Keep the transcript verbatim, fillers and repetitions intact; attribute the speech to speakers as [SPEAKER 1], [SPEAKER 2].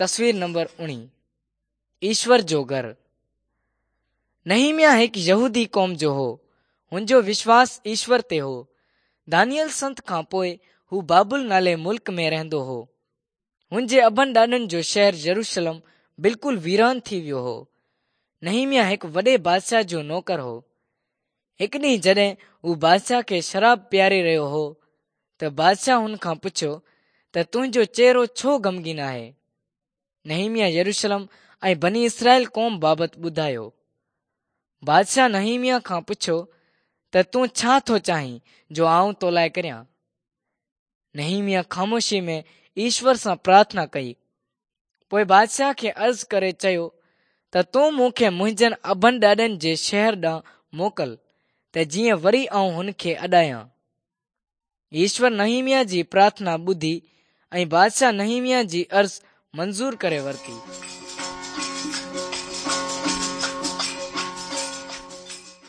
[SPEAKER 1] تصوير نمبر اڻويهه. ايشور جو گهر. نحيمياه هڪ يهودي قوم جو هو. هن جو وشواس ايشور تي هو. دانيئل سنت کان پوءِ هو بابل نالي ملڪ ۾ رهندو هو. هن جي ابن ڏاڏن جو شهر يروشلم بلڪل ويران ٿي ويو هو. نحيمياه هڪ وڏي بادشاهه جو نوڪر هو. هڪ ڏينهن جڏهن هو بادشاهه کي شراب پياري رهيو هو ته بادشاهه هن کان پڇيو ته تنهنجو چهرو ڇو غمگين آهي؟ نحيمياه يروشلم ۽ بني اسرائيل قوم بابت ٻڌايو. بادشاهه نحيمياه کان پڇيو ته تون ڇا ٿو چاهين جو آئون تو لاءِ ڪريان؟ نحيمياه خاموشي ۾ ايشور سان پرارٿنا ڪئي. پوءِ بادشاهه کي عرض ڪري چيو ته تون مون کي منهنجن ابن ڏاڏن جي شهر ڏانهن موڪل ته جيئن وري آئون هن کي اڏايان. ايشور نحيمياه جي پرارٿنا ٻڌي ۽ بادشاهه نحيمياه جي عرض منظور ڪري ورتي.